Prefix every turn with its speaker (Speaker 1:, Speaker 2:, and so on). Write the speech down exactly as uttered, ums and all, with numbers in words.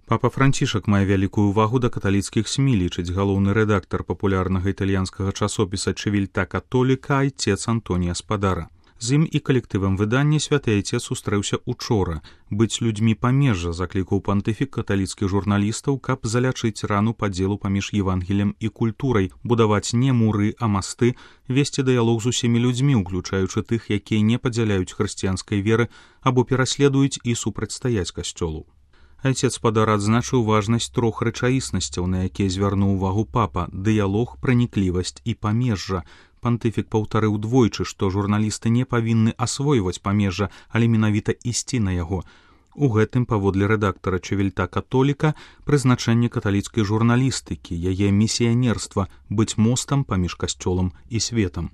Speaker 1: Папа Францішак мае вялікую ўвагу да каталіцкіх СМІ, лічыць галоўны рэдактар папулярнага італьянскага часопіса «Чывільта католіка» айцец Антонія Спадара. З ім і калектывам выдання святы айцец сустрэўся учора. Быць людзьмі памежжа заклікаў пантыфік каталіцкіх журналістаў, каб залячыць рану падзелу паміж Евангелем і культурай, будаваць не муры, а масты, весці дыялог з усімі людзьмі, уключаючы тых, якія не падзяляюць хрысціянскай веры або пераследуюць і супрацьстаяць касцёлу. Айцец Спадара адзначыў важнасць трох рэчаіснасцяў, на якія звярнуў увагу папа: дыялог, праніклівасць і памежжа. Пантыфік паўтарыў двойчы, што журналісты не павінны асвойваць памежжа, але менавіта ісці на яго. У гэтым, паводле рэдактара «Чывільта католіка», прызначэнне каталіцкай журналістыкі, яе місіянерства быць мостам паміж касцёлам і светам.